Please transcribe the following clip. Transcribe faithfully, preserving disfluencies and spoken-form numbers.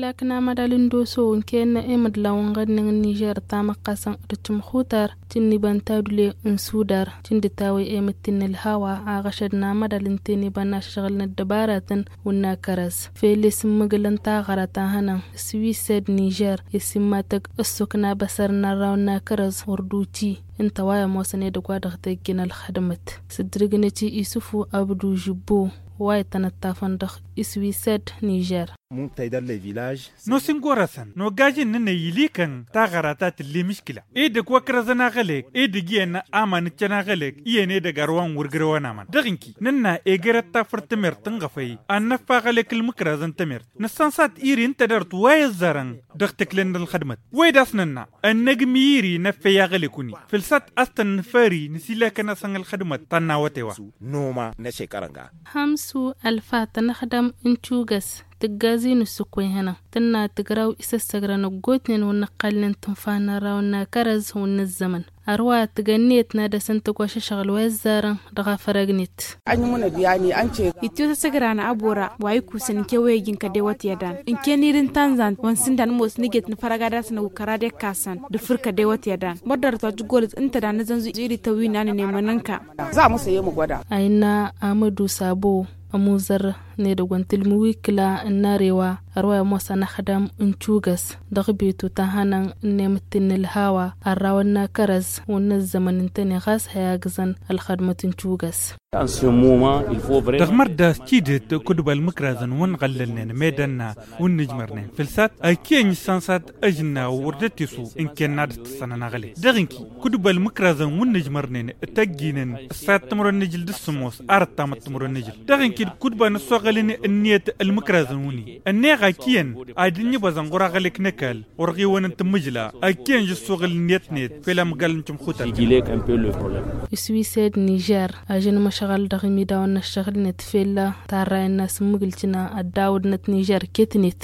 Akǝn amădal n-doso ǝnken emǝdlaw n-ɣădnen n-nižer tamăqqasăn d-tǝmxutar tǝnniba n-tadule n-sudar tǝndǝtawăy emǝttin n-ălhawa. Aɣăšăd n-amădal n-teniba n-ašăšɣǝl n-ăddăbaratăn wǝnna kărăz fel i-sǝmmǝgǝlăn taɣăra ta hănăn s-wised nižer i-simmatăg ăssok n-abăsăr n-arraw n-akărăz wăr d-uti. Ǝnta wa i-ămoosăn edăgg wa dăɣ-tejjin ălxădmăt s-ǝddǝrǝgnăt i-isǝfu abdu žibbo wa itănăttafăn dăɣ-iswised nižer. Nos-in gorăsăn nogajin n-ănăy ilikăn taɣăra ta tǝlli miškǝla edăgg wa kărăzăn aɣălek edăgg iyyăn aman ǝccăn aɣălek iyyăn edăgg arwan wăr gărăwăn aman dăɣ-inki nǝnna egerăt tafărt tămert tǝnɣăfăy ad-năffa aɣălek ǝlmǝkrazăn tămert nǝssănsat iri n-tadart wa i-ăzzarăn dăɣ-tǝklăn n-ălxădmăt. Wed a-s nǝnna ănnăgmi iri năffăy aɣălek-wi-ni fǝlsat a-s tăn-nǝfări nǝsilakăn-asăn ălxădmăt ta n-awătay wa. Noma n-ašekărăn ga. Hămsu ălfa tănăxdăm n-tugăs tǝggazi n-ǝssǝk wa ihănăn tǝnna tǝgraw isăssăgrăn ăggootnen wăr nǝqqalnen tǝnfa n-arraw n-akărăz wăr nǝzzămăn. Ărwa tǝgănniyăt n-ad-dăr-săn tăgg wa šăšăɣǝl wa ăzzarăn dăɣ-afărăgnet. Ittiwăt asăgran abora wa ikusăn ǝnke wa ijǝn kădewăt i-ădan ǝnke n-iri n-tanzant wa n-sǝndan ămoos nǝjet nǝfărăg ad-asnăw kăra d-ekkasăn d-ǝffǝr kădewăt i-ădan mărdărăt wa tǝggolăt ǝnta da nǝzănzu iri tăwwi n-anăn i-mănănka. A innă amădu sabo ămuzăr n-edăgg wa n-tǝlmǝwikǝla n-arewa ărwa i-ămoosăn ăxdam n-tugăs dăɣ-betu ta hănăn n-emǝttin n-ălhawa ărrawăn n-akărăz wăr nǝzzămăn ǝntăne ɣas hăyagǝzăn ălxădmăt n-tugăs. Dăɣ-mărda s-tidǝt kudba ălmǝkrazăn wăr nɣăllălnen medănna wăr nǝjmărnen fǝlsat ăkiyănj s-ansat ăžnna wăr dd-tisu ǝnken n-ad-dd-tǝssănăn aɣălek dăɣ-inki kudba ălmǝkrazăn wăr nǝjmărnen tăjjinăn ǝssat timǝrwen n-ijǝl d-ǝssǝmos arăt tamăt timǝrwen n-ijǝl dăɣ-inki d-kudba n-ăssoɣălăn ǝnniyăt ălmǝkrazăn wǝnni ănneɣ ăkiyăn ad-dd-inǝbăẓăn ɣur-aɣălek n-ăkall wăr ɣiwăn n-tǝmmǝjla ăkiyăn žǝssuɣǝl ǝnniyăt-net fel amgal n-timxutăl. Iswised nižer ažăn măšɣăl dăɣ-imidawăn n-ăššăɣǝl-net fel tarrayăn n-asǝmmǝgǝl tǝnna ăddawădnăt nižer ket-net.